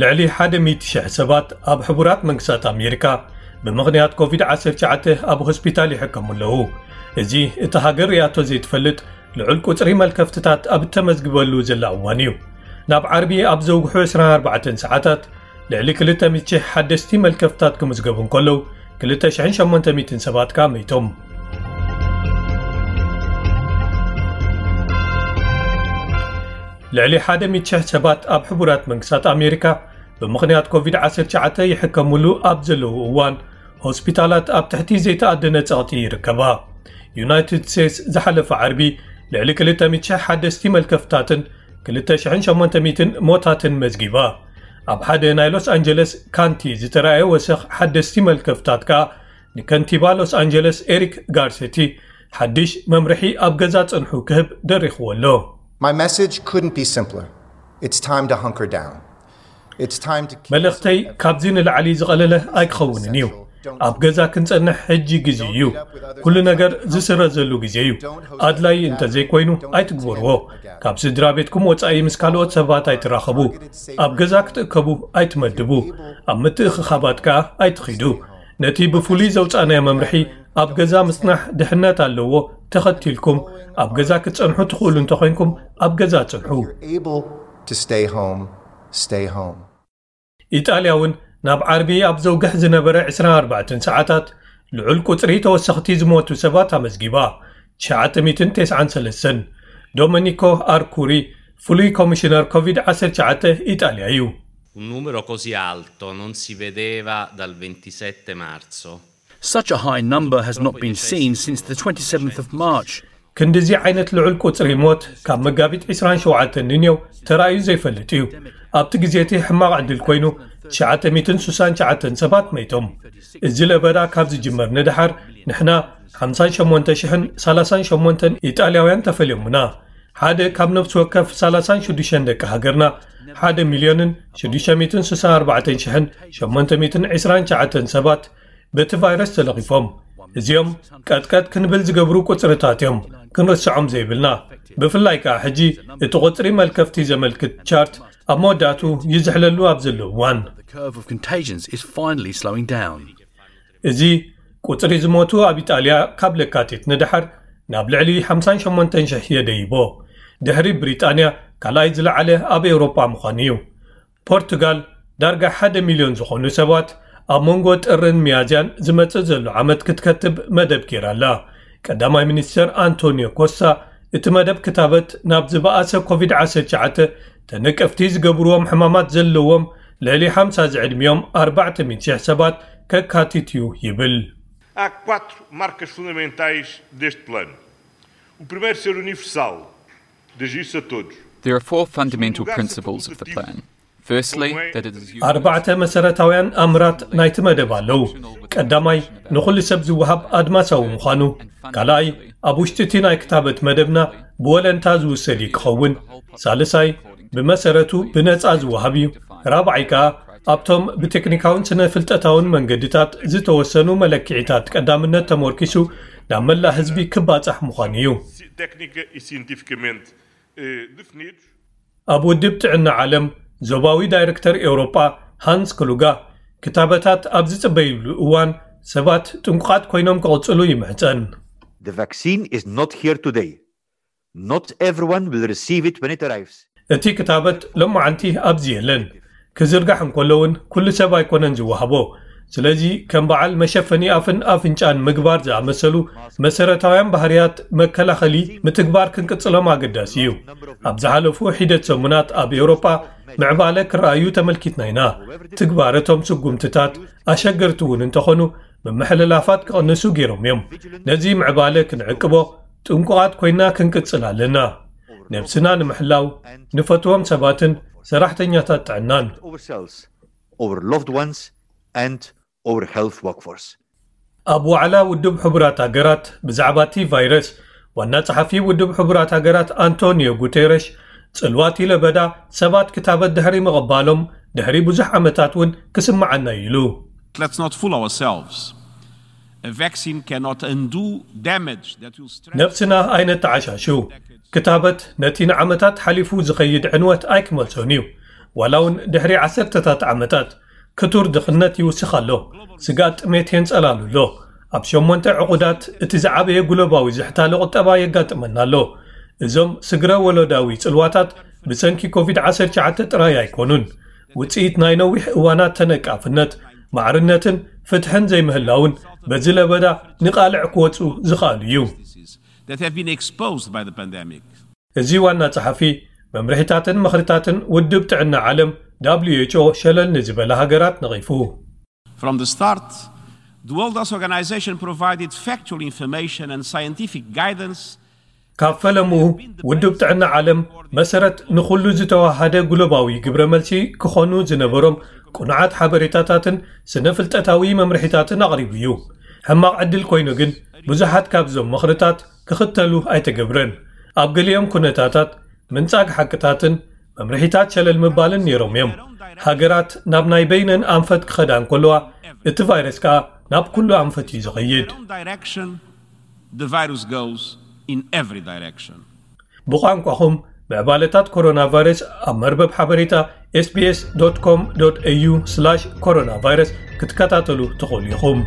ልዕሊ ሓደ ሚእቲ ሽሕ ሰባት ኣብ ሕቡራት መንግስታት ኣሜሪካ ብምኽንያት ኮቪድ ዓሰርተ ትሽዓተ ኣብ ሆስፒታል ይሕከሙ ኣለዉ። እዚ እታ ሃገር ርያቶ ዘይትፈልጥ ልዑል ቁጽሪ መልከፍትታት ኣብ እተመዝግበሉ ዘላ እዋን እዩ። ናብ ዓርቢ ኣብ ዘውግሑ ዕስራን ኣርባዕተን ሰዓታት ልዕሊ ክልተ ሚእቲ ሽሕ ሓደስቲ መልከፍትታት ክምዝገቡ እንከለዉ፣ ክልተ ሽሕን ሸሞንተ ሚእትን ሰባት ከኣ መይቶም። ልዕሊ ሓደ ሚእቲ ሽሕ ሰባት ኣብ ሕቡራት መንግስታት ኣሜሪካ ብምኽንያት ኮቪድ ዓሰርተ ትሽዓተ ይሕከሙሉ ኣብ ዘለዉ እዋን፣ ሆስፒታላት ኣብ ትሕቲ ዘይተኣደነ ጸቕጢ ይርከባ። ዩናይትድ ስቴትስ ዝሓለፈ ዓርቢ ልዕሊ ክልተ ሚእቲ ሽሕ ሓደስቲ መልከፍትታትን ክልተ ሽሕን ሸሞንተ ሚእትን ሞታትን መዝጊባ። ኣብ ሓደ ናይ ሎስ ኣንጀለስ ካንቲ ዝተራእየ ወሰኽ ሓደስቲ መልከፍትታት ከኣ ንከንቲባ ሎስ ኣንጀለስ ኤሪክ ጋርሴቲ ሓድሽ መምርሒ ኣብ ገዛ ጽንሑ ክህብ ደሪኽዎ ኣሎ። My message couldn't be simpler. It's time to hunker down. It's time to keep መልእኽተይ ካብዚ ንላዕሊ ዝቐለለ ኣይክኸውንን እዩ። ኣብ ገዛ ክንጸንሕ ሕጂ ግዜ እዩ። ኩሉ ነገር ዝስረዘሉ ግዜ እዩ። ኣድላዪ እንተዘይኮይኑ ኣይትግበርዎ። ካብ ስድራ ቤትኩም ወጻኢ ምስ ካልኦት ሰባት ኣይትራኸቡ። ኣብ ገዛ ክትእከቡ ኣይትመድቡ። ኣብ ምትእኽኻባት ከኣ ኣይትኺዱ። ነቲ ብፍሉይ ዘውጻእናዮ መምርሒ ኣብ ገዛ ምጽናሕ ድሕነት ኣለዎ ተኸቲልኩም ኣብ ገዛ ክትጸንሑ ትኽእሉ እንተኾይንኩም ኣብ ገዛ ጽንሑ። You're able to stay home, stay home. ኢጣልያ እውን ናብ ዓርቢ ኣብ ዘውግሕ ዝነበረ ዕስራን ኣርባዕተን ሰዓታት ልዑል ቁጽሪ ተወሰኽቲ ዝሞቱ ሰባት ኣመዝጊባ፣ ትሽዓተ ሚእትን ተስዓን ሰለስተን። ዶመኒኮ ኣርኩሪ ፍሉይ ኮሚሽነር ኮቪድ ዓሰርተ ትሽዓተ ኢጣልያ እዩ። Un numero così alto non si vedeva dal ventisette marzo. Such a high number has not been seen since the twenty-seventh of March. ክንድዚ ዓይነት ልዑል ቁጽሪ ሞት ካብ መጋቢት ዕስራን ሸውዓተን ንኔው ተራእዩ ዘይፈልጥ እዩ። ኣብቲ ግዜ እቲ ሕማቕ ዕድል ኮይኑ ትሽዓተ ሚእትን ስሳን ትሽዓተን ሰባት መይቶም። እዚ ለበዳ ካብ ዝጅመር ንድሓር ንሕና ሓምሳን ሸሞንተ ሽሕን ሰላሳን ሸሞንተን ኢጣልያውያን ተፈልዮምና። ሓደ ካብ ነፍሲ ወከፍ ሰላሳን ሽዱሽተን ደቂ ሃገርና ሓደ ሚልዮንን ሽዱሽተ ሚእትን ስሳን ኣርባዕተን ሽሕን ሸሞንተ ሚእትን ዕስራን ትሽዓተን ሰባት በቲ ቫይረስ ተለኺፎም። እዚኦም ቀጥቀጥ ክንብል ዝገብሩ ቁጽርታት እዮም፣ ክንርስዖም ዘይብልና። ብፍላይ ከኣ ሕጂ እቲ ቁጽሪ መልከፍቲ ዘመልክት ቻርት ኣብ መወዳእቱ ይዝሕለሉ ኣብ ዘሎ እዋን። The curve of contagions is finally slowing down. እዚ ቁጽሪ ዝሞቱ ኣብ ኢጣልያ ካብ ለካቲት ንድሓር ናብ ልዕሊ ሓምሳን ሸሞንተን ሽሕ የደይቦ። ድሕሪ ብሪጣንያ ካልኣይ ዝለዓለ ኣብ ኤውሮጳ ምዃኑ እዩ። ፖርቱጋል ዳርጋ ሓደ ሚልዮን ዝኾኑ ሰባት ኣብ መንጎ ጥርን ሚያዝያን ዝመጽእ ዘሎ ዓመት ክትከትብ መደብ ገይራ ኣላ። ቀዳማይ ሚኒስተር ኣንቶኒዮ ኮስታ እቲ መደብ ክታበት ናብ ዝበኣሰ ኮቪድ ዓሰርተ ትሽዓተ ተነቀፍቲ ዝገብርዎም ሕማማት ዘለዎም ልዕሊ ሓምሳ ዝዕድሚኦም ኣርባዕተ ሚእቲ ሽሕ ሰባት ከካትት እዩ ይብል። Há quatro marcas fundamentais deste plano. O primeiro ser universal, dirigir-se a todos. There are four fundamental principles of the plan. Firstly, that it is ኣርባዕተ መሰረታውያን ኣምራት ናይቲ መደብ ኣለዉ። ቀዳማይ ንኹሉ ሰብ ዝወሃብ ኣድማሳዊ ምዃኑ፣ ካልኣይ ኣብ ውሽጢ እቲ ናይ ክታበት መደብና ብወለንታ ዝውሰድ እዩ ክኸውን፣ ሳልሳይ ብመሰረቱ ብነጻ ዝወሃብ እዩ፣ ራብዓይ ከኣ ኣብቶም ብቴክኒካውን ስነ ፍልጠታውን መንገድታት ዝተወሰኑ መለክዒታት ቀዳምነት ተመርኪሱ ናብ መላእ ህዝቢ ክባጻሕ ምዃኑ እዩ። Técnica e cientificamente eh, definidos. ኣብ ውድብ ጥዕና ዓለም ዞባዊ ዳይረክተር ኤውሮጳ ሃንስ ክሉጋ ክታበታት ኣብ ዝጽበይሉ እዋን ሰባት ጥንቁቓት ኮይኖም ክቕጽሉ ይምሕጸን። The vaccine is not here today. Not everyone will receive it when it arrives. እቲ ክታበት ሎማዓንቲ ኣብዚ የለን፣ ክዝርጋሕ እንከሎ እውን ኩሉ ሰብ ኣይኮነን ዝወሃቦ። ስለዚ ከም በዓል መሸፈኒ ኣፍን ኣፍንጫን ምግባር ዝኣመሰሉ መሰረታውያን ባህርያት መከላኸሊ ምትግባር ክንቅጽሎም ኣገዳሲ እዩ። ኣብ ዝሓለፉ ሒደት ሰሙናት ኣብ ኤውሮጳ ምዕባለ ክረኣዩ ተመልኪትና ኢና። ትግባረቶም ስጉምትታት ኣሸገርቲ እውን እንተኾኑ ምምሕልላፋት ክቕንሱ ገይሮም እዮም። ነዚ ምዕባለ ክንዕቅቦ ጥንቁቓት ኮይና ክንቅጽል ኣለና። ነብስና ንምሕላው ንፈትዎም ሰባትን ሰራሕተኛታት ጥዕናን። Ourselves, our loved ones, and our health workforce. ኣብ ዋዕላ ውድብ ሕቡራት ሃገራት ብዛዕባ እቲ ቫይረስ ዋና ጸሓፊ ውድብ ሕቡራት ሃገራት ኣንቶኒዮ ጉቴረሽ ጽልዋቲ ለበዳ ሰባት ክታበት ድሕሪ ምቕባሎም ድሕሪ ብዙሕ ዓመታት እውን ክስምዓና እዩ ኢሉ። Let's not fool ourselves. A vaccine cannot undo damage that will strengthen. ነብስና ኣይነተዓሻሽው። ክታበት ነቲ ንዓመታት ሓሊፉ ዝኸይድ ዕንወት ኣይክመልሶን እዩ። ዋላ እውን ድሕሪ ዓሰርተታት ዓመታት ክቱር ድኽነት ይውስኽ ኣሎ። ስጋት ጥሜት የንጸላሉ ኣሎ። ኣብ ሸሞንተ ዕቑዳት እቲ ዝዓበየ ጉሎባዊ ዝሕታለ ቁጠባ የጋጥመና ኣሎ። እዞም ስግረ ወለዳዊ ጽልዋታት ብሰንኪ ኮቪድ ዓሰርተ ትሽዓተ ጥራይ ኣይኮኑን። ውጽኢት ናይ ነዊሕ እዋናት ተነቃፍነት፣ ማዕርነትን ፍትሕን ዘይምህላውን በዚ ለበዳ ንቓልዕ ክወጹ ዝኽኣሉ እዩ። That have been exposed by the pandemic. እዚ ዋና ጸሓፊ መምርሒታትን ምኽርታትን ውድብ ጥዕና ዓለም W H O ሸለል ንዝበላ ሃገራት ነቒፉ። From the start, the World Health Organization provided factual information and scientific guidance ካብ ፈለምኡ ውድብ ጥዕና ዓለም መሰረት ንኹሉ ዝተዋሃደ ግሎባዊ ግብረ መልሲ ክኾኑ ዝነበሮም ቅኑዓት ሓበሬታታትን ስነ ፍልጠታዊ መምርሒታትን ኣቕሪቡ እዩ። ሕማቕ ዕድል ኮይኑ ግን ብዙሓት ካብዞም ምኽርታት ክኽተሉ ኣይተገብረን። ኣብ ገሊኦም ኩነታታት ምንጻግ ሓቅታትን መምርሒታት ሸለል ምባልን ነይሮም እዮም። ሃገራት ናብ ናይ በይነን ኣንፈት ክኸዳ እንከለዋ እቲ ቫይረስ ከኣ ናብ ኩሉ ኣንፈት እዩ ዝኸይድ። One direction, the virus goes in every direction. ብቋንቋኹም ምዕባለታት ኮሮና ቫይረስ ኣብ መርበብ ሓበሬታ S B S dot com dot A U slash coronavirus ክትከታተሉ ትኽእሉ ኢኹም።